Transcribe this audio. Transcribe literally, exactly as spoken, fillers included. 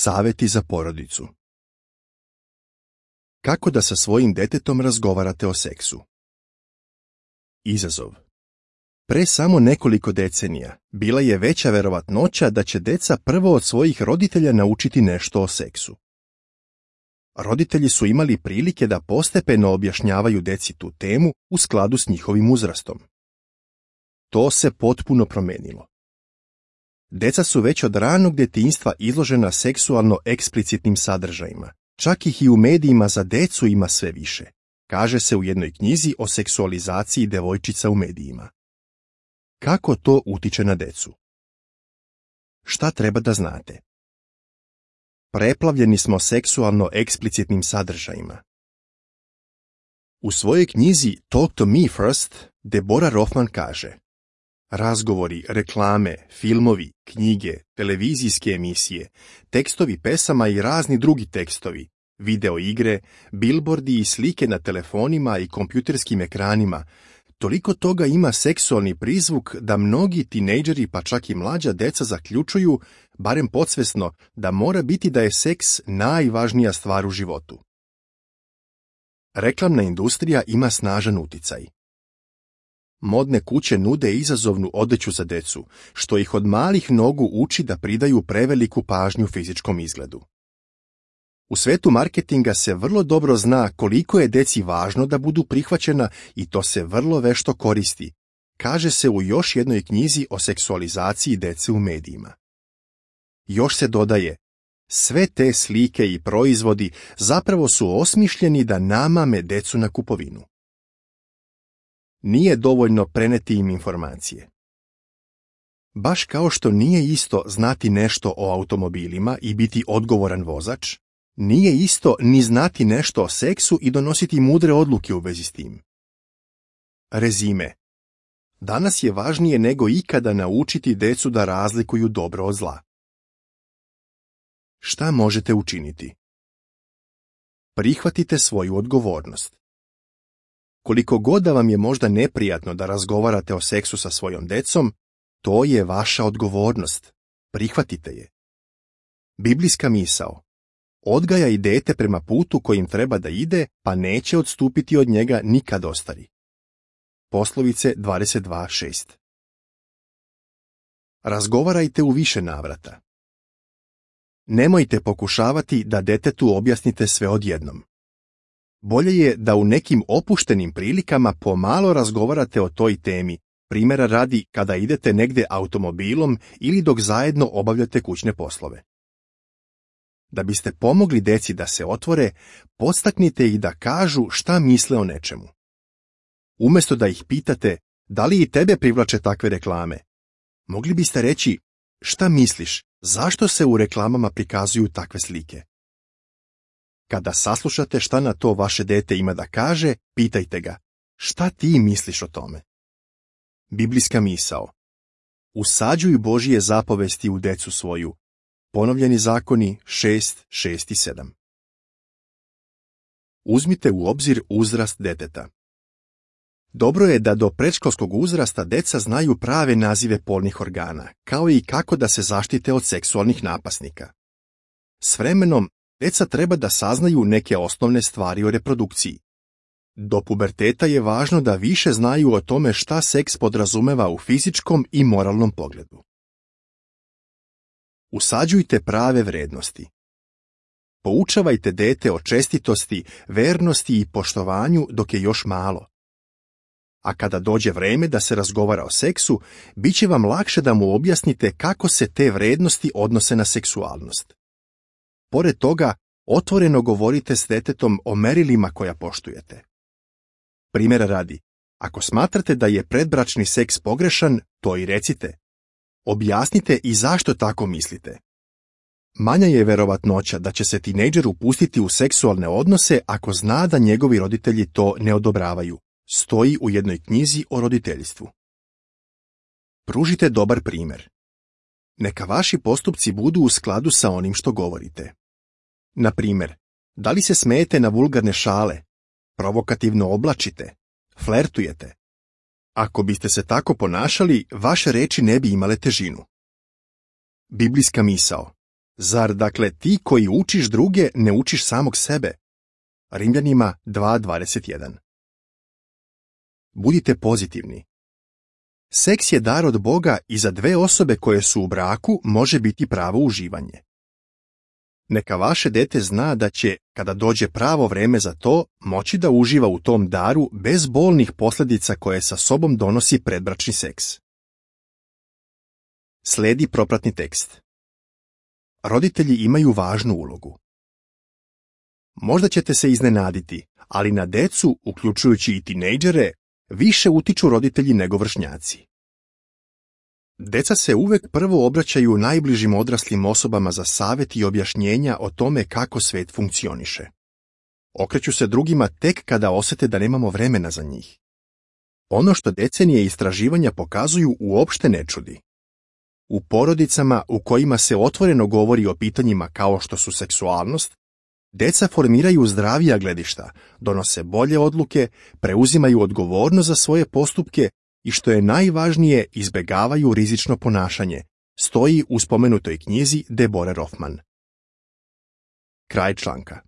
Savjeti za porodicu. Kako da sa svojim detetom razgovarate o seksu? Izazov. Pre samo nekoliko decenija bila je veća verovatnoća da će deca prvo od svojih roditelja naučiti nešto o seksu. Roditelji su imali prilike da postepeno objašnjavaju deci tu temu u skladu s njihovim uzrastom. To se potpuno promenilo. Deca su već od ranog djetinjstva izložena seksualno eksplicitnim sadržajima. Čak ih i u medijima za decu ima sve više, kaže se u jednoj knjizi o seksualizaciji devojčica u medijima. Kako to utiče na decu? Šta treba da znate? Preplavljeni smo seksualno eksplicitnim sadržajima. U svojoj knjizi Talk to me first, Deborah Rothman kaže: razgovori, reklame, filmovi, knjige, televizijske emisije, tekstovi pesama i razni drugi tekstovi, video igre, bilbordi i slike na telefonima i kompjuterskim ekranima, toliko toga ima seksualni prizvuk da mnogi tinejdžeri pa čak i mlađa deca zaključuju, barem podsvesno, da mora biti da je seks najvažnija stvar u životu. Reklamna industrija ima snažan uticaj. Modne kuće nude izazovnu odeću za decu, što ih od malih nogu uči da pridaju preveliku pažnju fizičkom izgledu. U svetu marketinga se vrlo dobro zna koliko je deci važno da budu prihvaćena i to se vrlo vešto koristi, kaže se u još jednoj knjizi o seksualizaciji dece u medijima. Još se dodaje, sve te slike i proizvodi zapravo su osmišljeni da namame decu na kupovinu. Nije dovoljno preneti im informacije. Baš kao što nije isto znati nešto o automobilima i biti odgovoran vozač, nije isto ni znati nešto o seksu i donositi mudre odluke u vezi s tim. Rezime. Danas je važnije nego ikada naučiti decu da razlikuju dobro od zla. Šta možete učiniti? Prihvatite svoju odgovornost. Koliko god da vam je možda neprijatno da razgovarate o seksu sa svojom decom, to je vaša odgovornost. Prihvatite je. Biblijska misao. Odgajaj dete prema putu kojim treba da ide, pa neće odstupiti od njega nikad ostari. Poslovice dvadeset dva šest. Razgovarajte u više navrata. Nemojte pokušavati da detetu objasnite sve odjednom. Bolje je da u nekim opuštenim prilikama pomalo razgovarate o toj temi, primjera radi kada idete negde automobilom ili dok zajedno obavljate kućne poslove. Da biste pomogli deci da se otvore, podstaknite ih da kažu šta misle o nečemu. Umjesto da ih pitate da li i tebe privlače takve reklame, mogli biste reći: šta misliš, zašto se u reklamama prikazuju takve slike? Kada saslušate šta na to vaše dete ima da kaže, pitajte ga: šta ti misliš o tome? Biblijska misao. Usađuj Božije zapovesti u decu svoju. Ponovljeni zakoni šest, šest i sedam. Uzmite u obzir uzrast deteta. Dobro je da do predškolskog uzrasta deca znaju prave nazive polnih organa, kao i kako da se zaštite od seksualnih napasnika. S vremenom, deca treba da saznaju neke osnovne stvari o reprodukciji. Do puberteta je važno da više znaju o tome šta seks podrazumeva u fizičkom i moralnom pogledu. Usađujte prave vrednosti. Poučavajte dete o čestitosti, vernosti i poštovanju dok je još malo. A kada dođe vreme da se razgovara o seksu, bit će vam lakše da mu objasnite kako se te vrednosti odnose na seksualnost. Pored toga, otvoreno govorite s detetom o merilima koja poštujete. Primjera radi, ako smatrate da je predbračni seks pogrešan, to i recite. Objasnite i zašto tako mislite. Manja je verovatnoća da će se tinejdžer upustiti u seksualne odnose ako zna da njegovi roditelji to ne odobravaju. Stoji u jednoj knjizi o roditeljstvu. Pružite dobar primjer. Neka vaši postupci budu u skladu sa onim što govorite. Na primjer, da li se smejete na vulgarne šale, provokativno oblačite, flertujete? Ako biste se tako ponašali, vaše reči ne bi imale težinu. Biblijska misao. Zar dakle ti koji učiš druge ne učiš samog sebe? Rimljanima dva dvadeset jedan. Budite pozitivni. Seks je dar od Boga i za dve osobe koje su u braku može biti pravo uživanje. Neka vaše dete zna da će, kada dođe pravo vreme za to, moći da uživa u tom daru bez bolnih posljedica koje sa sobom donosi predbračni seks. Slijedi propratni tekst. Roditelji imaju važnu ulogu. Možda ćete se iznenaditi, ali na decu, uključujući i tinejdžere, više utiču roditelji nego vršnjaci. Deca se uvek prvo obraćaju najbližim odraslim osobama za savjet i objašnjenja o tome kako svet funkcioniše. Okreću se drugima tek kada osjete da nemamo vremena za njih. Ono što decenije istraživanja pokazuju uopšte ne čudi. U porodicama u kojima se otvoreno govori o pitanjima kao što su seksualnost, deca formiraju zdravija gledišta, donose bolje odluke, preuzimaju odgovornost za svoje postupke i što je najvažnije, izbegavaju rizično ponašanje, stoji u spomenutoj knjizi Deborah Roffman. Kraj članka.